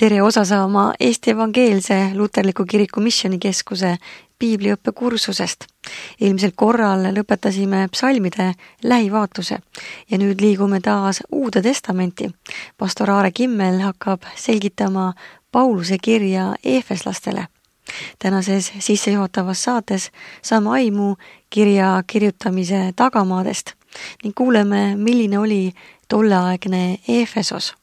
Tere osa saama Eesti Evangeelse Luterliku Kiriku Missioonikeskuse piibliõppekursusest. Eelmisel korral lõpetasime psalmide lähivaatluse ja nüüd liigume taas Uude Testamenti. Pastor Aare Kimmel hakkab selgitama Pauluse kirja Efeslastele. Tänases sissejuhatavas saates saame aimu kirja kirjutamise tagamaadest ning kuuleme, milline oli tolleaegne Efesos.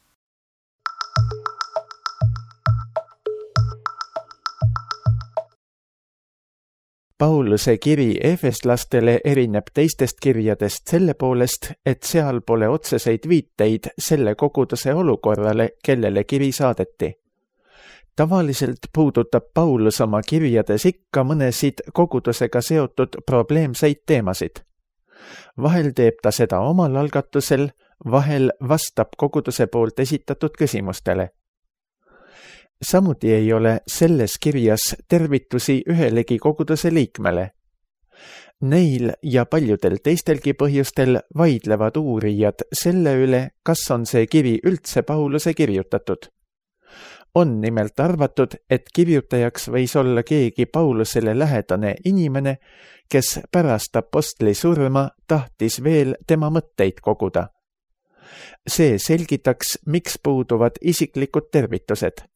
Pauluse kiri efeslastele erineb teistest kirjadest selle poolest, et seal pole otseseid viiteid selle koguduse olukorrale, kellele kiri saadeti. Tavaliselt puudutab Paulus oma kirjades ikka mõnesid kogudusega seotud probleemseid teemasid. Vahel teeb ta seda omal algatusel, vahel vastab koguduse poolt esitatud küsimustele. Samuti ei ole selles kirjas tervitusi ühelegi koguduse liikmele. Neil ja paljudel teistelgi põhjustel vaidlevad uurijad selle üle, kas on see kiri üldse Pauluse kirjutatud. On nimelt arvatud, et kirjutajaks võis olla keegi Paulusele lähedane inimene, kes pärast apostli surma tahtis veel tema mõtteid koguda. See selgitaks, miks puuduvad isiklikud tervitused.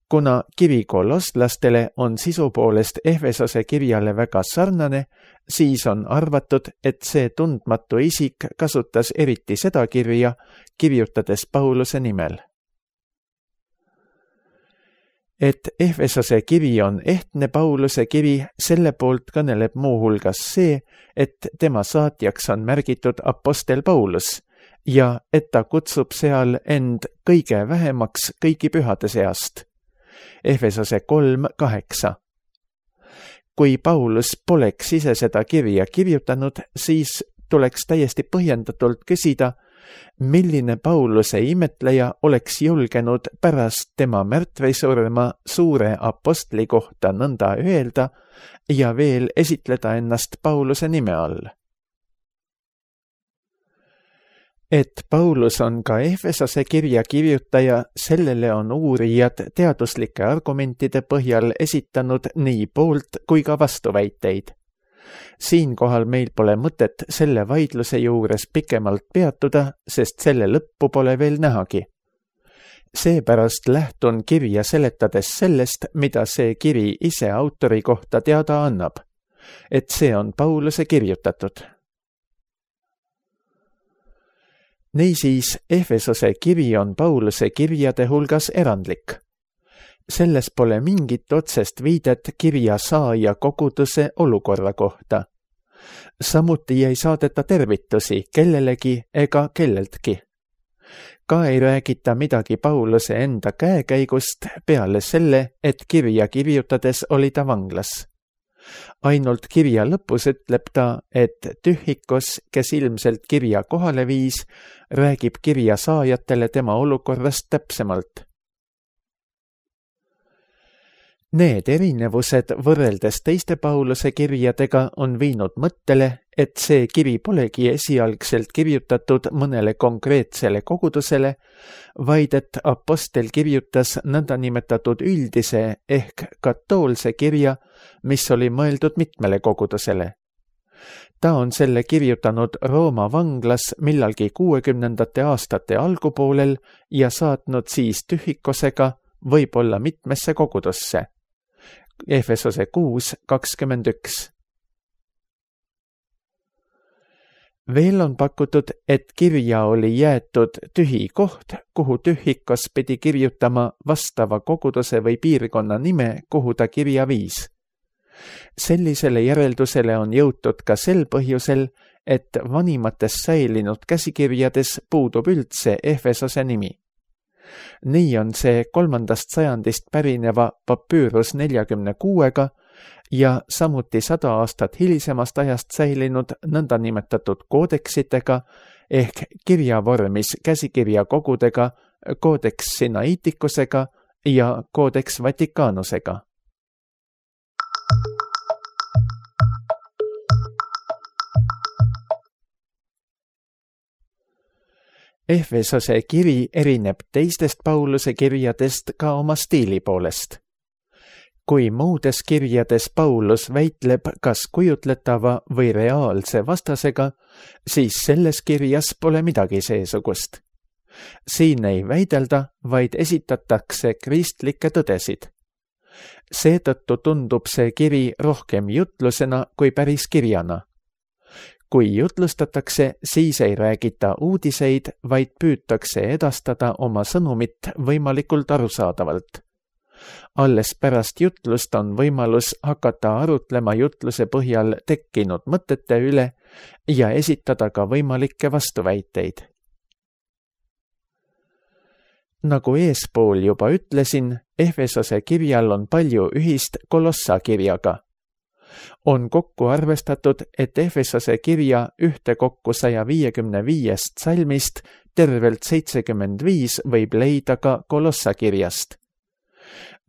Kuna kiri kolosslastele on sisu poolest Efesose kirjale väga sarnane, siis on arvatud, et see tundmatu isik kasutas eriti seda kirja, kirjutades Pauluse nimel. Et Efesose kiri on ehtne Pauluse kiri, selle poolt kõneleb muuhulgas see, et tema saatjaks on märgitud apostel Paulus ja et ta kutsub seal end kõige vähemaks kõigi pühade seast. Efesose 3:8. Kui Paulus poleks ise seda kirja kirjutanud, siis tuleks täiesti põhjendatult küsida, milline Pauluse imetleja oleks julgenud pärast tema märtvisurma suure apostli kohta nõnda öelda ja veel esitleda ennast Pauluse nime all. Et Paulus on ka Efesose kirja kirjutaja, sellele on uurijad teaduslike argumentide põhjal esitanud nii poolt kui ka vastuväiteid. Siinkohal meil pole mõtet selle vaidluse juures pikemalt peatuda, sest selle lõppu pole veel nähagi. Seepärast lähtun kirja seletades sellest, mida see kiri ise autori kohta teada annab, et see on Pauluse kirjutatud. Niisiis, Efesose kiri on Pauluse kirjade hulgas erandlik. Selles pole mingit otsest viidet kirja saaja koguduse olukorra kohta. Samuti ei saadeta tervitusi kellelegi ega kelleltki. Ka ei räägita midagi Pauluse enda käekäigust peale selle, et kirja kirjutades oli ta vanglas. Ainult kirja lõpus ütleb ta, et Tühikos, kes ilmselt kirja kohale viis, räägib kirja saajatele tema olukorrast täpsemalt. Need erinevused võrreldes teiste Pauluse kirjadega on viinud mõttele, et see kiri polegi esialgselt kirjutatud mõnele konkreetsele kogudusele, vaid et apostel kirjutas nõndanimetatud üldise ehk katoolse kirja, mis oli mõeldud mitmele kogudusele. Ta on selle kirjutanud Rooma vanglas millalgi 60. aastate algupoolel ja saatnud siis Tühikosega võib-olla mitmesse kogudusse. Efesose 6:21. Veel on pakutud, et kirja oli jäetud tühi koht, kuhu Tühikos pidi kirjutama vastava koguduse või piirkonna nime, kuhu ta kirja viis. Sellisele järeldusele on jõutud ka sel põhjusel, et vanimates säilinud käsikirjades puudub üldse Efesose nimi. Nii on see 3. sajandist pärineva papüürus 46-ga ja samuti 100 aastat hilisemast ajast säilinud nõndanimetatud koodeksitega ehk kirjavormis käsikirja kogudega, Codex Sinaiticusega ja Codex Vaticanusega. Efesose kiri erineb teistest Pauluse kirjadest ka oma stiili poolest. Kui muudes kirjades Paulus väitleb kas kujutletava või reaalse vastasega, siis selles kirjas pole midagi seesugust. Siin ei väidelda, vaid esitatakse kristlikke tõdesid. Seetõttu tundub see kiri rohkem jutlusena kui päris kirjana. Kui jutlustatakse, siis ei räägita uudiseid, vaid püütakse edastada oma sõnumit võimalikult arusaadavalt. Alles pärast jutlust on võimalus hakata arutlema jutluse põhjal tekkinud mõtete üle ja esitada ka võimalikke vastuväiteid. Nagu eespool juba ütlesin, Efesose kirjal on palju ühist Kolossa kirjaga. On kokku arvestatud, et Efesose kirja ühtekokku 155 salmist tervelt 75 võib leida ka Kolossa kirjast.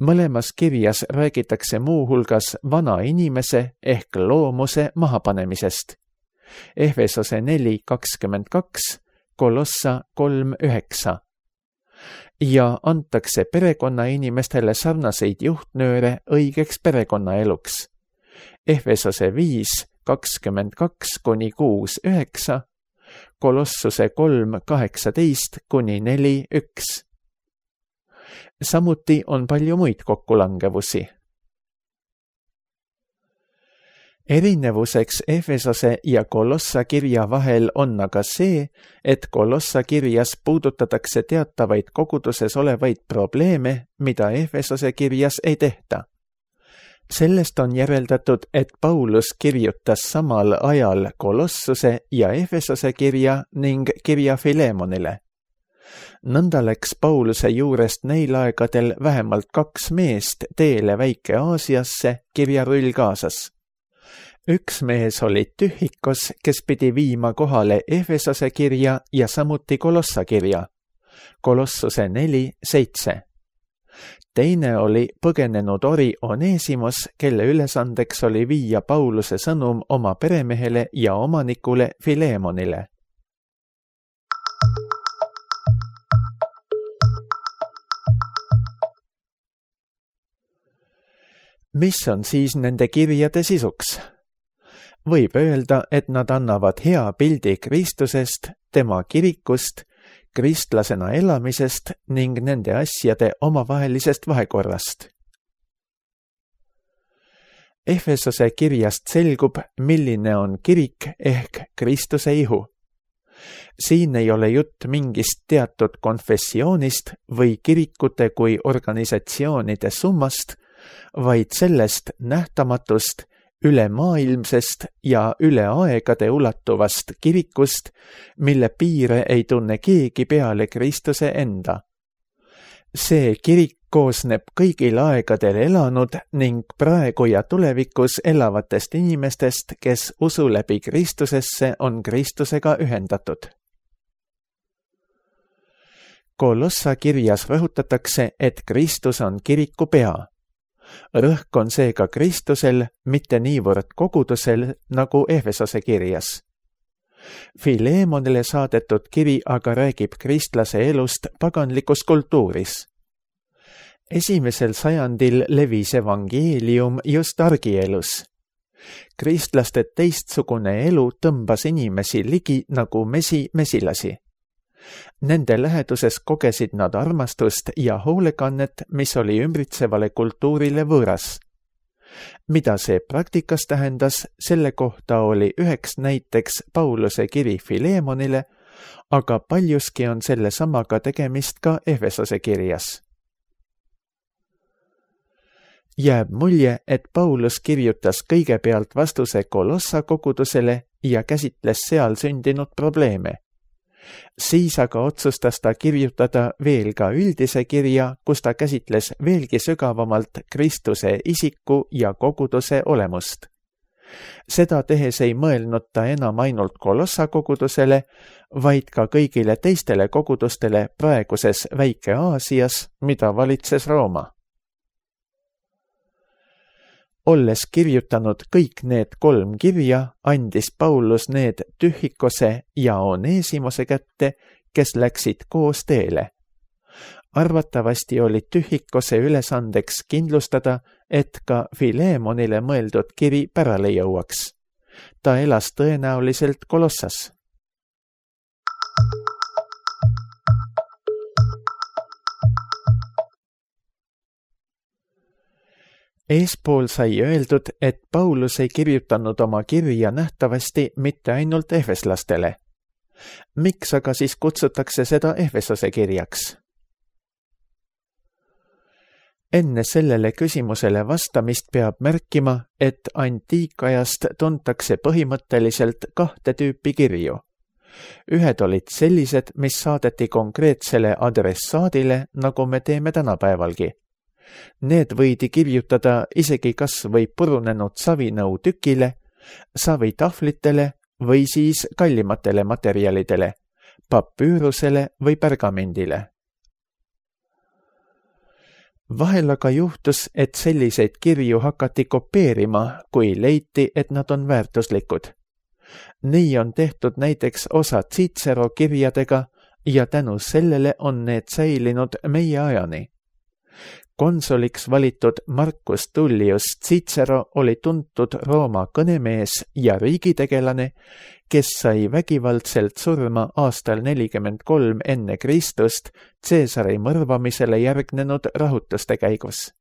Mõlemas kirjas räägitakse muuhulgas vana inimese ehk loomuse mahapanemisest. Efesose 4:22, Kolossa 3:9. Ja antakse perekonnainimestele sarnaseid juhtnööre õigeks perekonnaeluks. Efesose 5:22-6:9, Kolossuse 3:18-4:1. Samuti on palju muid kokkulangevusi. Erinevuseks Efesose ja Kolossa kirja vahel on aga see, et Kolossa kirjas puudutatakse teatavaid koguduses olevaid probleeme, mida Efesose kirjas ei tehta. Sellest on järeldatud, et Paulus kirjutas samal ajal Kolossuse ja Efesose kirja ning kirja Filemonile. Nõnda läks Pauluse juurest neil aegadel vähemalt 2 meest teele Väike-Aasiasse kirjarull kaasas. Üks mees oli Tühikos, kes pidi viima kohale Efesose kirja ja samuti Kolossa kirja, Kolossuse 4:7. Teine oli põgenenud ori Onesimos, kelle ülesandeks oli viia Pauluse sõnum oma peremehele ja omanikule Filemonile. Mis on siis nende kirjade sisuks? Võib öelda, et nad annavad hea pildi Kristusest, tema kirikust, kristlasena elamisest ning nende asjade omavahelisest vahekorrast. Efesose kirjast selgub, milline on kirik ehk Kristuse ihu. Siin ei ole jutt mingist teatud konfessioonist või kirikute kui organisatsioonide summast, vaid sellest nähtamatust, ülemaailmsest ja üle aegade ulatuvast kirikust, mille piire ei tunne keegi peale Kristuse enda. See kirik koosneb kõigil aegadel elanud ning praegu ja tulevikus elavatest inimestest, kes usu läbi Kristusesse on Kristusega ühendatud. Kolossa kirjas rõhutatakse, et Kristus on kiriku pea. Rõhk on seega Kristusel, mitte niivõrd kogudusel nagu Efesose kirjas. Filemonile saadetud kiri aga räägib kristlase elust paganlikus kultuuris. 1. sajandil levis evangeelium just argielus. Kristlaste teistsugune elu tõmbas inimesi ligi nagu mesi mesilasi. Nende läheduses kogesid nad armastust ja hoolekannet, mis oli ümbritsevale kultuurile võõras. Mida see praktikas tähendas, selle kohta oli üheks näiteks Pauluse kiri Filemonile, aga paljuski on selle samaga tegemist ka Efesose kirjas. Jääb mulje, et Paulus kirjutas kõigepealt vastuse Kolossa kogudusele ja käsitles seal sündinud probleeme. Siis aga otsustas ta kirjutada veel ka üldise kirja, kus ta käsitles veelgi sügavamalt Kristuse isiku ja koguduse olemust. Seda tehes ei mõelnud ta enam ainult Kolossa kogudusele, vaid ka kõigile teistele kogudustele praeguses Väike-Aasias, mida valitses Rooma. Olles kirjutanud kõik need 3 kirja, andis Paulus need Tühikose ja Onesimose kätte, kes läksid koos teele. Arvatavasti oli Tühikose ülesandeks kindlustada, et ka Filemonile mõeldud kiri pärale jõuaks. Ta elas tõenäoliselt Kolossas. Eespool sai öeldud, et Paulus ei kirjutanud oma kirja nähtavasti mitte ainult efeslastele. Miks aga siis kutsutakse seda Efesose kirjaks? Enne sellele küsimusele vastamist peab märkima, et antiikajast tuntakse põhimõtteliselt 2 tüüpi kirju. Ühed olid sellised, mis saadeti konkreetsele adressaadile, nagu me teeme tänapäevalgi. Need võidi kirjutada isegi kas või purunenud savinõu tükile, savitahvlitele või siis kallimatele materjalidele, papüürusele või pergamendile. Vahel aga juhtus, et selliseid kirju hakati kopeerima, kui leiti, et nad on väärtuslikud. Nii on tehtud näiteks osa Cicero kirjadega ja tänu sellele on need säilinud meie ajani. Konsoliks valitud Marcus Tullius Cicero oli tuntud Rooma kõnemees ja riigitegelane, kes sai vägivaldselt surma aastal 43 enne Kristust Caesari mõrvamisele järgnenud rahutuste käigus.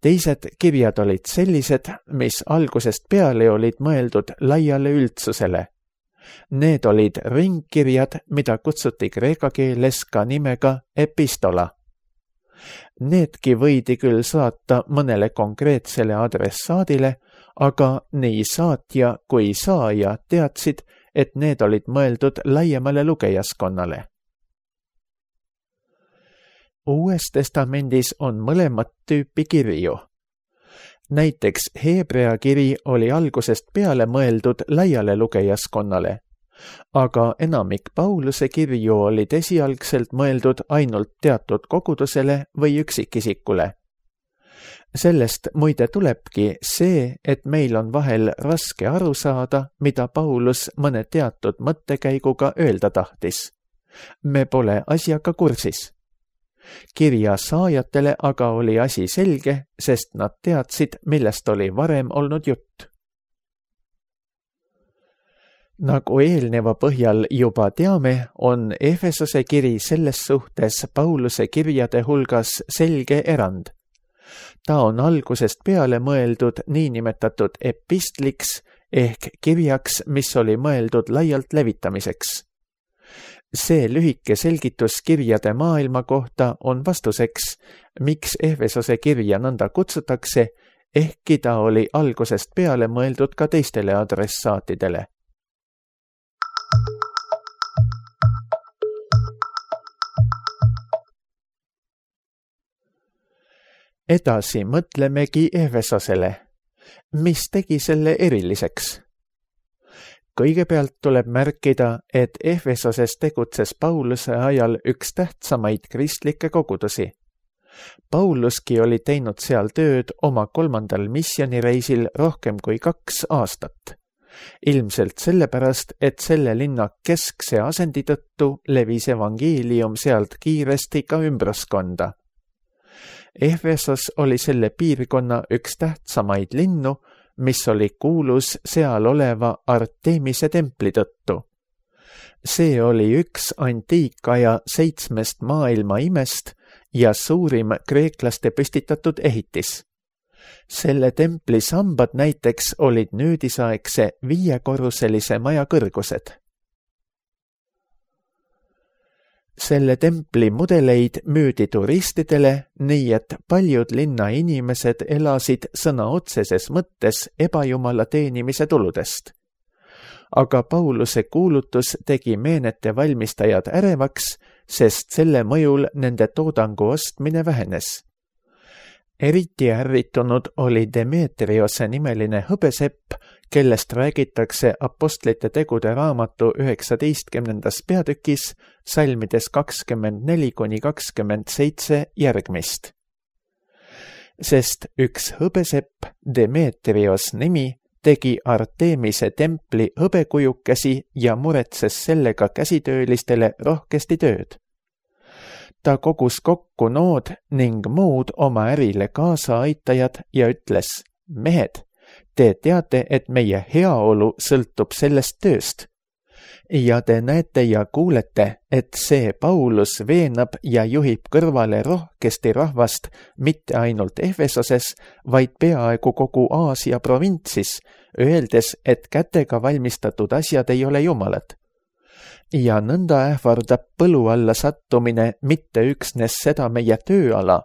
Teised kirjad olid sellised, mis algusest peale olid mõeldud laiale üldsusele. Need olid ringkirjad, mida kutsuti kreeka keeles ka nimega epistola. Needki võidi küll saata mõnele konkreetsele adressaadile, aga nii saatja kui saaja teadsid, et need olid mõeldud laiemale lugejaskonnale. Uues testamendis on mõlemat tüüpi kirju. Näiteks Hebrea kiri oli algusest peale mõeldud laiale lugejaskonnale, aga enamik Pauluse kirju olid esialgselt mõeldud ainult teatud kogudusele või üksikisikule. Sellest muide tulebki see, et meil on vahel raske aru saada, mida Paulus mõne teatud mõttekäiguga öelda tahtis. Me pole asjaga kursis. Kirja saajatele aga oli asi selge, sest nad teadsid, millest oli varem olnud jutt. Nagu eelneva põhjal juba teame, on Efesose kiri selles suhtes Pauluse kirjade hulgas selge erand. Ta on algusest peale mõeldud niinimetatud epistliks ehk kirjaks, mis oli mõeldud laialt levitamiseks. See lühike selgitus kirjade maailma kohta on vastuseks, miks Efesose kirja nõnda kutsutakse, ehkki ta oli algusest peale mõeldud ka teistele adressaatidele. Edasi mõtlemegi Efesosele. Mis tegi selle eriliseks? Kõigepealt tuleb märkida, et Efesoses tegutses Pauluse ajal üks tähtsamaid kristlikke kogudusi. Pauluski oli teinud seal tööd oma 3. misjonireisil rohkem kui 2 aastat. Ilmselt sellepärast, et selle linna keskse asendi tõttu levis evangeelium sealt kiiresti ka ümbruskonda. Efesos oli selle piirkonna üks tähtsamaid linnu, mis oli kuulus seal oleva Artemise templi tõttu. See oli üks antiikaja 7 maailma imest ja suurim kreeklaste püstitatud ehitis. Selle templi sambad näiteks olid nüüdisaegse 5-korruselise maja kõrgused. Selle templi mudeleid müüdi turistidele, nii et paljud linna inimesed elasid sõna otseses mõttes ebajumala teenimise tuludest. Aga Pauluse kuulutus tegi meenete valmistajad ärevaks, sest selle mõjul nende toodangu ostmine vähenes. Eriti ärritunud oli Demetriose nimeline hõbesepp, kellest räägitakse Apostlite tegude raamatu 19. peatükis salmides 24-27 järgmist. Sest üks hõbesepp, Demetrios nimi, tegi Artemise templi hõbekujukesi ja muretses sellega käsitöölistele rohkesti tööd. Ta kogus kokku nood ning muud oma ärile kaasaaitajad ja ütles, mehed, te teate, et meie heaolu sõltub sellest tööst. Ja te näete ja kuulete, et see Paulus veenab ja juhib kõrvale rohkesti rahvast mitte ainult Efesoses, vaid peaaegu kogu Aasia provintsis, öeldes, et kätega valmistatud asjad ei ole jumalad. Ja nõnda ähvardab põlu alla sattumine mitte üksnes seda meie tööala,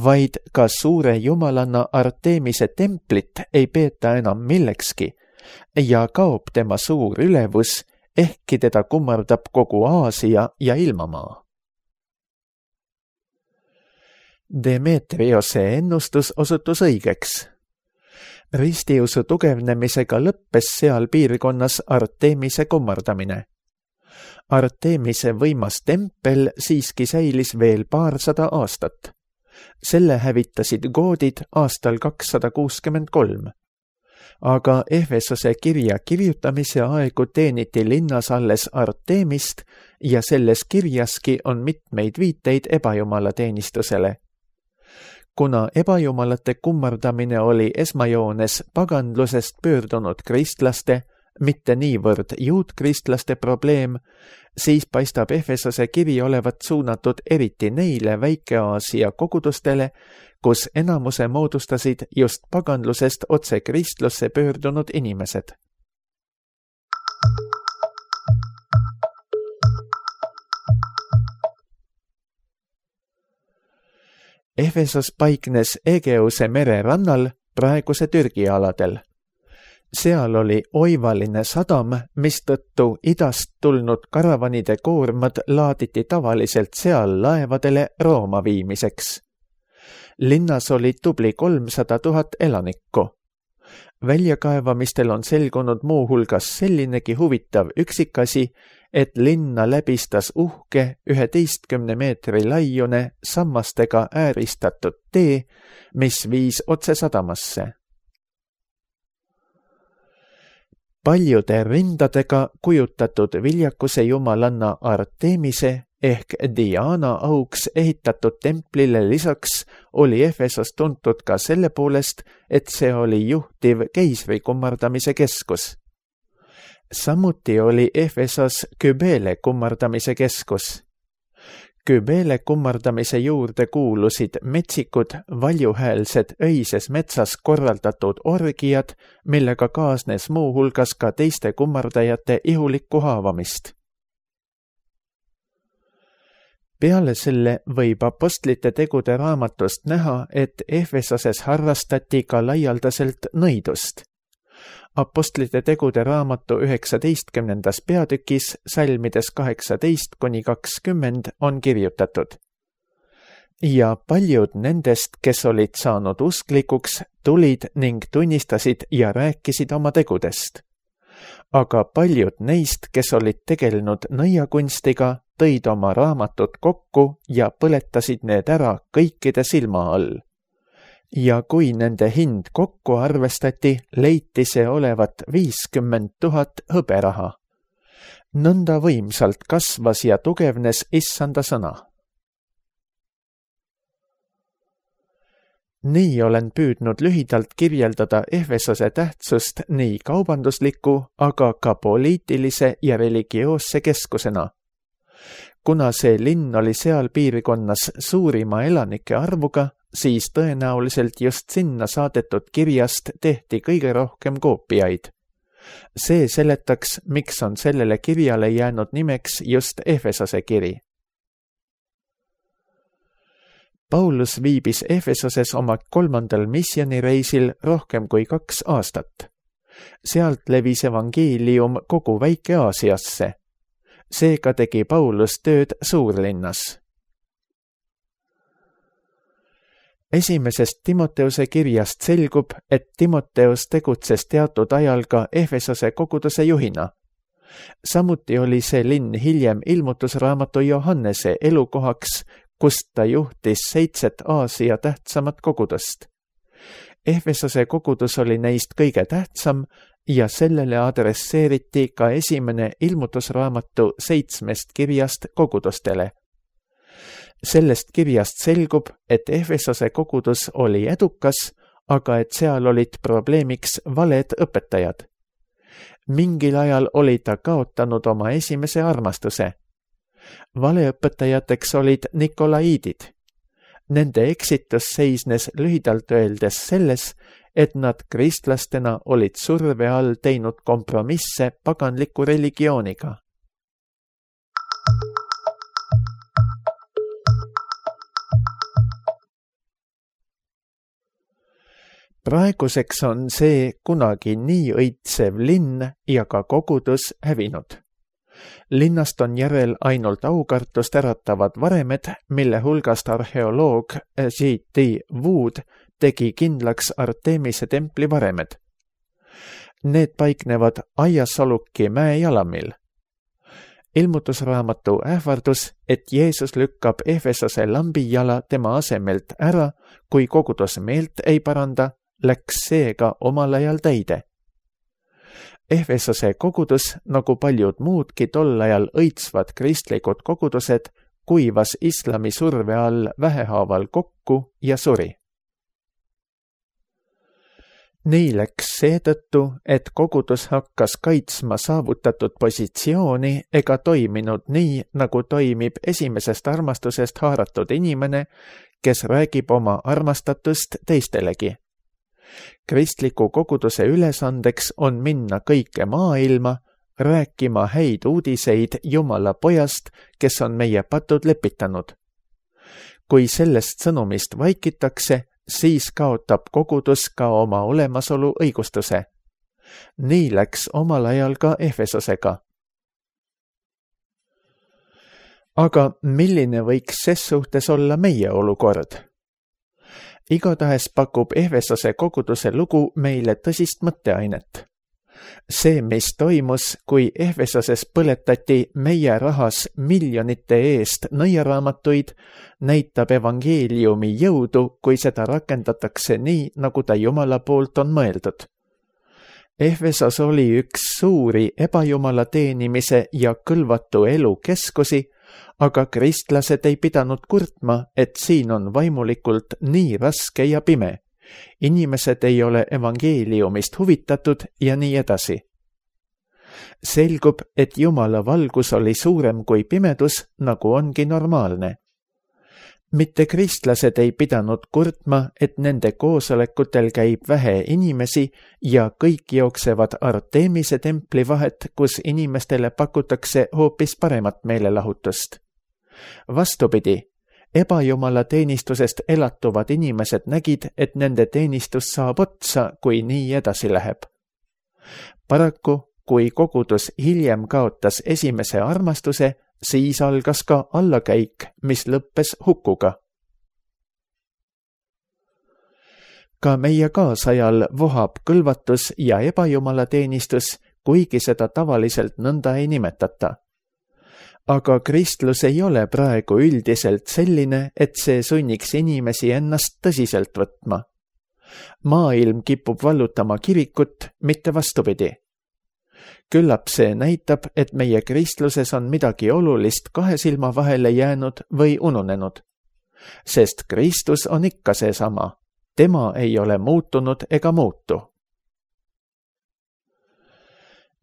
vaid ka suure jumalanna Artemise templit ei peeta enam millekski ja kaob tema suur ülevus, ehkki teda kummardab kogu Aasia ja ilmamaa. Demetriose ennustus osutus õigeks. Ristiusu tugevnemisega lõppes seal piirkonnas Artemise kummardamine. Artemise võimas tempel siiski säilis veel paarsada aastat. Selle hävitasid goodid aastal 263. Aga Efesose kirja kirjutamise aegu teeniti linnas alles Artemist ja selles kirjaski on mitmeid viiteid ebajumalateenistusele. Kuna ebajumalate kummardamine oli esmajoones pagandlusest pöördunud kristlaste, mitte niivõrd juutkristlaste probleem, siis paistab Efesose kiri olevat suunatud eriti neile Väike-Aasia kogudustele, kus enamuse moodustasid just pagandlusest otse kristlusse pöördunud inimesed. Efesos paiknes Egeuse mere rannal praeguse Türgi aladel. Seal oli oivaline sadam, mistõttu idast tulnud karavanide koormad laaditi tavaliselt seal laevadele Rooma viimiseks. Linnas oli tubli 300 000 elanikku. Väljakaevamistel on selgunud muu hulgas sellinegi huvitav üksikasi, et linna läbistas uhke 11 meetri laiune sammastega ääristatud tee, mis viis otse sadamasse. Paljude rindadega kujutatud viljakuse jumalanna Artemise ehk Diana auks ehitatud templile lisaks oli Efesos tuntud ka selle poolest, et see oli juhtiv keisri kummardamise keskus. Samuti oli Efesos Kybele kummardamise keskus. Kybele kummardamise juurde kuulusid metsikud, valjuhäälsed öises metsas korraldatud orgiad, millega kaasnes muu hulgas ka teiste kummardajate ihulikku haavamist. Peale selle võib apostlite tegude raamatust näha, et Efesoses harrastati ka laialdaselt nõidust. Apostlite tegude raamatu 19. peatükis salmides 18-20 on kirjutatud. Ja paljud nendest, kes olid saanud usklikuks, tulid ning tunnistasid ja rääkisid oma tegudest. Aga paljud neist, kes olid tegelenud nõiakunstiga, tõid oma raamatud kokku ja põletasid need ära kõikide silma all. Ja kui nende hind kokku arvestati, leiti see olevat 50 000 hõberaha. Nõnda võimsalt kasvas ja tugevnes issanda sõna. Nii olen püüdnud lühidalt kirjeldada Efesose tähtsust nii kaubandusliku, aga ka poliitilise ja religioosse keskusena. Kuna see linn oli seal piirkonnas suurima elanike arvuga, siis tõenäoliselt just sinna saadetud kirjast tehti kõige rohkem koopiaid. See seletaks, miks on sellele kirjale jäänud nimeks just Efesose kiri. Paulus viibis Efesoses oma 3. missioonireisil rohkem kui 2 aastat. Sealt levis evangeelium kogu Väike-Aasiasse. Seega tegi Paulus tööd suurlinnas. Esimesest Timoteuse kirjast selgub, et Timoteus tegutses teatud ajal ka Efesose koguduse juhina. Samuti oli see linn hiljem ilmutusraamatu Johannese elukohaks, kust ta juhtis 7 Aasia tähtsamat kogudust. Efesose kogudus oli neist kõige tähtsam ja sellele adresseeriti ka esimene ilmutusraamatu 7 kirjast kogudustele. Sellest kirjast selgub, et Efesose kogudus oli edukas, aga et seal olid probleemiks valed õpetajad. Mingil ajal oli ta kaotanud oma esimese armastuse. Valeõpetajateks olid nikolaiidid. Nende eksitus seisnes lühidalt öeldes selles, et nad kristlastena olid surve all teinud kompromisse paganliku religiooniga. Praeguseks on see kunagi nii õitsev linn ja ka kogudus hävinud. Linnast on järel ainult aukartust äratavad varemed, mille hulgast arheoloog G.T. Wood tegi kindlaks Artemise templi varemed. Need paiknevad Aiasoluki mäe jalamil. Ilmutusraamatu ähvardus, et Jeesus lükkab Efesose lambijala tema asemelt ära, kui kogudus meelt ei paranda, läks seega omal ajal täide. Efesose kogudus, nagu paljud muudki tol ajal õitsvad kristlikud kogudused, kuivas islami surve all vähehaaval kokku ja suri. Nii läks seetõttu, et kogudus hakkas kaitsma saavutatud positsiooni ega toiminud nii, nagu toimib esimesest armastusest haaratud inimene, kes räägib oma armastatust teistelegi. Kristliku koguduse ülesandeks on minna kõike maailma, rääkima häid uudiseid Jumala pojast, kes on meie patud lepitanud. Kui sellest sõnumist vaikitakse, siis kaotab kogudus ka oma olemasolu õigustuse. Nii läks omal ajal ka Efesosega. Aga milline võiks ses suhtes olla meie olukord? Igatahes pakub Efesose koguduse lugu meile tõsist mõtteainet. See, mis toimus, kui Efesoses põletati meie rahas miljonite eest nõiaraamatuid, näitab evangeeliumi jõudu, kui seda rakendatakse nii, nagu ta Jumala poolt on mõeldud. Efesos oli üks suuri ebajumala teenimise ja kõlvatu elu keskusi, aga kristlased ei pidanud kurtma, et siin on vaimulikult nii raske ja pime. Inimesed ei ole evangeeliumist huvitatud ja nii edasi. Selgub, et Jumala valgus oli suurem kui pimedus, nagu ongi normaalne. Mitte kristlased ei pidanud kurtma, et nende koosolekutel käib vähe inimesi ja kõik jooksevad Artemise templi vahet, kus inimestele pakutakse hoopis paremat meelelahutust. Vastupidi, ebajumala teenistusest elatuvad inimesed nägid, et nende teenistus saab otsa, kui nii edasi läheb. Paraku, kui kogudus hiljem kaotas esimese armastuse, siis algas ka allakäik, mis lõppes hukkuga. Ka meie kaasajal vohab kõlvatus ja ebajumala teenistus, kuigi seda tavaliselt nõnda ei nimetata. Aga kristlus ei ole praegu üldiselt selline, et see sunniks inimesi ennast tõsiselt võtma. Maailm kipub vallutama kirikut, mitte vastupidi. Küllap see näitab, et meie kristluses on midagi olulist kahe silma vahele jäänud või ununenud. Sest Kristus on ikka seesama. Tema ei ole muutunud ega muutu.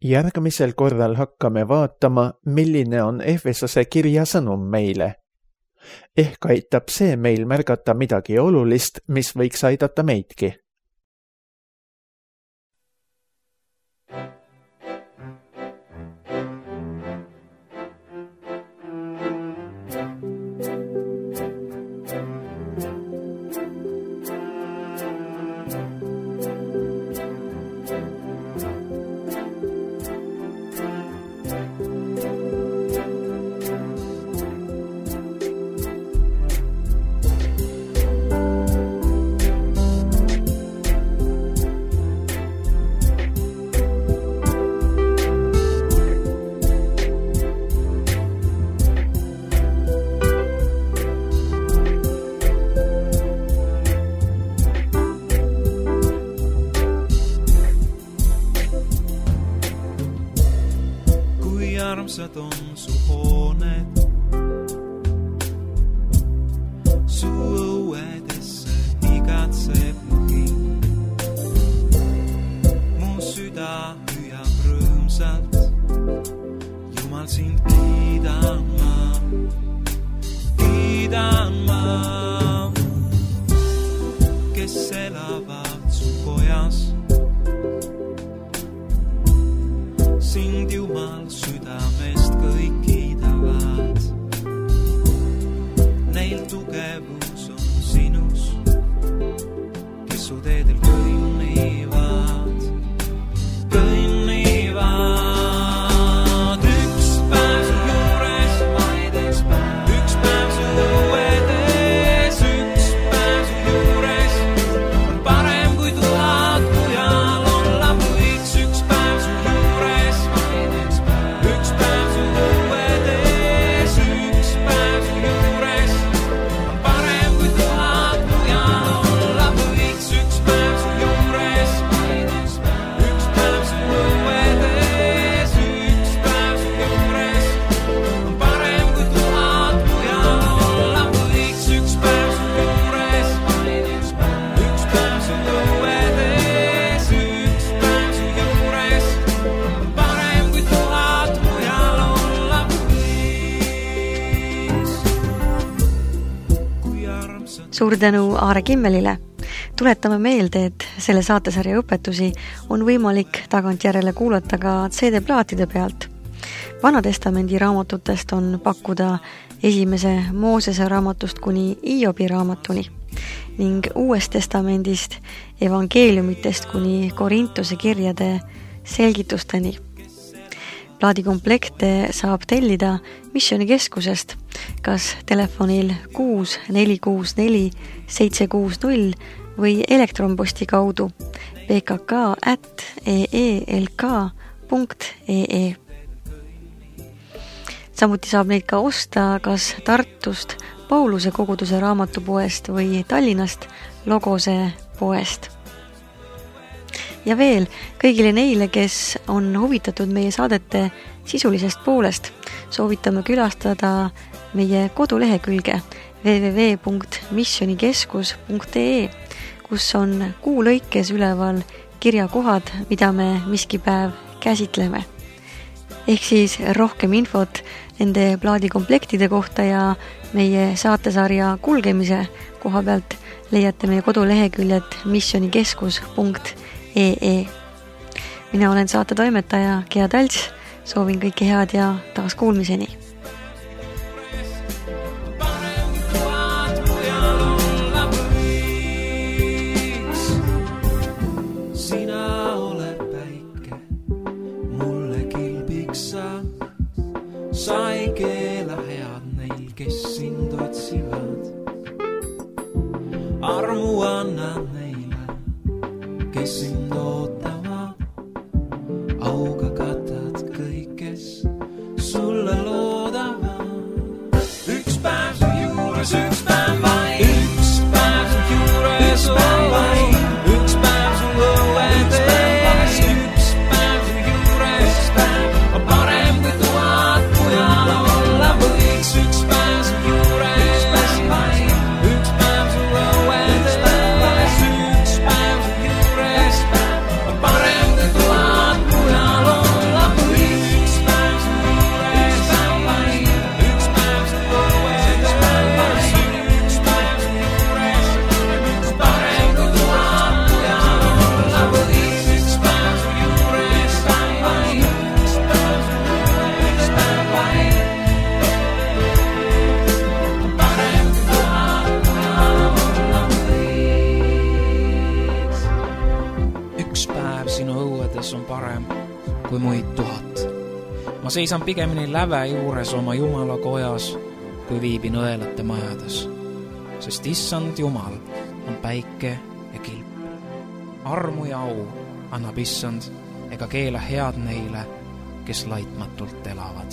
Järgmisel korral hakkame vaatama, milline on Efesose kirja sõnum meile. Ehk aitab see meil märgata midagi olulist, mis võiks aidata meidki. rõõmsad on su hooned, su õuedesse igatseb mu hing. Mu süda hüüab rõõmsalt, Jumal sind kiidan ma, kes elavad su kojas. Sind Jumal südamest kõik kiidavad, neil tugevus on sinus, kes su teedel kõnnivad. Üks päev su juures, vaid üks päev su õuedes, üks päev su juures on parem kui 1000 mujal olla võiks. Üks päev su juures, üks päev su õuedes, üks päev su juures on parem kui 1000 mujal olla võiks. Üks päev su juures, üks päev su õuedes, üks päev su juures on parem kui 1000 mujal olla võiks. Üks päev su juures, üks päev su õuedes, üks päev su juures on parem kui 1000 mujal olla võiks. Kui armsad Suur tänu Aare Kimmelile. Tuletame meelde, et selle saatesarja õpetusi on võimalik tagantjärele kuulata ka CD-plaatide pealt. Vanatestamendi raamatutest on pakkuda esimese Moosese raamatust kuni Hiobi raamatuni ning Uuest testamendist evangeeliumitest kuni Korintuse kirjade selgitusteni. Plaadikomplekte saab tellida Missionikeskusest kas telefonil 6464 760 või elektronposti kaudu pkk@eelk.ee. Samuti saab neid ka osta kas Tartust Pauluse koguduse raamatupoest või Tallinnast Logose poest. Ja veel kõigile neile, kes on huvitatud meie saadete sisulisest poolest, soovitame külastada meie kodulehekülge www.missionikeskus.ee, kus on kuu lõikes üleval kirjakohad, mida me miski päev käsitleme. Ehk siis rohkem infot nende plaadikomplektide kohta ja meie saatesarja kulgemise koha pealt leiate meie koduleheküljed missionikeskus.ee. Mina olen saatetoimetaja Gea Talts, soovin kõike head ja taas kuulmiseni. Sa ei keela head neil, kes sind otsivad. Armu annad neile, kes sind ootavad. Auga katad kõik, kes sulle loodavad. Üks päev su juures, üks päev vaid. Üks päev su juures, üks päev su õuedes, üks päev su juures on parem kui 1000 mujal olla võiks. Üks päev su juures, üks päev su õuedes, üks päev su juures on parem kui 1000 mujal olla võiks. Üks päev su juures, üks päev su õuedes, üks päev su juures on parem kui 1000 mujal olla võiks. Üks päev su juures, üks päev su Üks päev sinu õuedes on parem kui muid 1000. Ma seisan pigemini läve juures oma Jumala kojas, kui viibin õelate majades. Sest Issand Jumal on päike ja kilp. Armu ja au annab Issand ega keela head neile, kes laitmatult elavad.